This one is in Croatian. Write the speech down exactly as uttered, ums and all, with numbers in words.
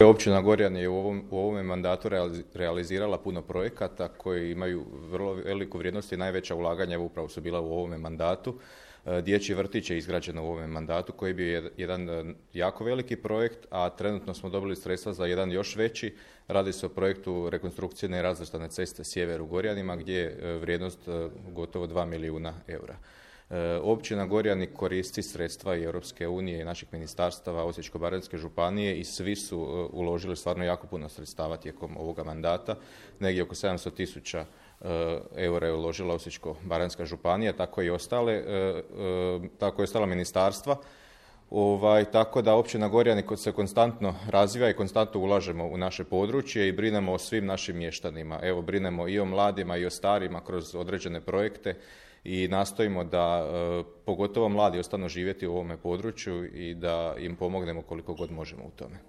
općina Gorjan je u ovom, u ovome mandatu realizirala puno projekata koji imaju vrlo veliku vrijednost i najveća ulaganja upravo su bila u ovome mandatu. Dječji vrtić je izgrađen u ovome mandatu koji je bio jedan jako veliki projekt, a trenutno smo dobili sredstva za jedan još veći. Radi se o projektu rekonstrukcije nerazvrstane ceste Sjever u Gorjanima gdje je vrijednost gotovo dva milijuna eura. Općina Gorjani koristi sredstva i Europske unije i naših ministarstava Osječko-baranjske županije i svi su uložili stvarno jako puno sredstava tijekom ovoga mandata. Negdje oko sedamsto tisuća eura je uložila Osječko-baranjska županija, tako i ostale, tako i ostala ministarstva. Ovaj, tako da općina Gorjani se konstantno razvija i konstantno ulažemo u naše područje i brinemo o svim našim mještanima. Evo, brinemo i o mladima i o starima kroz određene projekte i nastojimo da pogotovo mladi ostanu živjeti u ovome području i da im pomognemo koliko god možemo u tome.